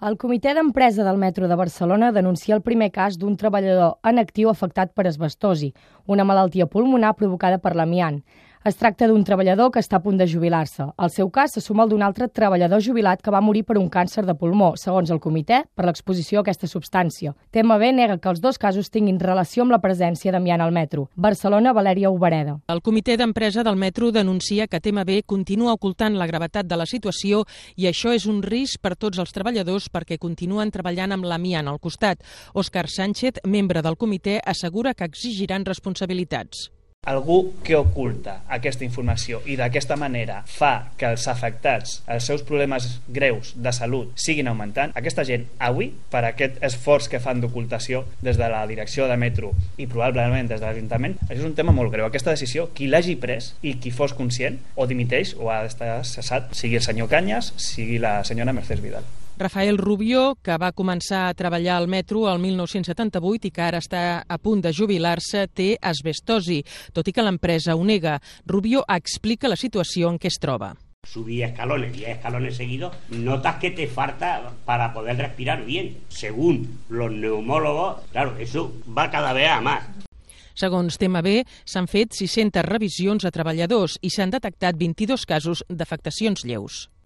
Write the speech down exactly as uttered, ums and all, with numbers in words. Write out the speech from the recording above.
El Comitè d'Empresa del Metro de Barcelona denuncia el primer cas d'un treballador en actiu afectat per asbestosi, una malaltia pulmonar provocada per l'amiant. Es tracta d'un treballador que està a punt de jubilar-se. El seu cas se suma al d'un altre treballador jubilat que va morir per un càncer de pulmó, segons el comitè, per l'exposició a aquesta substància. T M B nega que els dos casos tinguin relació amb la presència d'amiant al metro. Barcelona, Valèria Obereda. El Comitè d'Empresa del Metro denuncia que T M B continua ocultant la gravetat de la situació i això és un risc per tots els treballadors perquè continuen treballant amb l'amiant al costat. Òscar Sánchez, membre del comitè, assegura que exigiran responsabilitats. Algú que oculta aquesta informació i d'aquesta manera fa que els afectats, els seus problemes greus de salut siguin augmentant, aquesta gent avui, per aquest esforç que fan d'ocultació des de la direcció de Metro i probablement des de l'Ajuntament, és un tema molt greu. Aquesta decisió, qui l'hagi pres i qui fos conscient, o dimiteix o ha d'estar cessat, sigui el senyor Cañas, sigui la senyora Mercedes Vidal. Rafael Rubio, que va començar a treballar al metro el mil nou-cents setanta-vuit i que ara està a punt de jubilar-se, té asbestosi, tot i que l'empresa ho nega. Rubio explica la situació en què es troba. Subí escalones, diez escalones seguidos, notas que te falta para poder respirar bien. Según los neumólogos, claro, eso va cada vez a más. Segons T M B, s'han fet sis-centes revisions a treballadors i s'han detectat vint-i-dos casos d'afectacions lleus.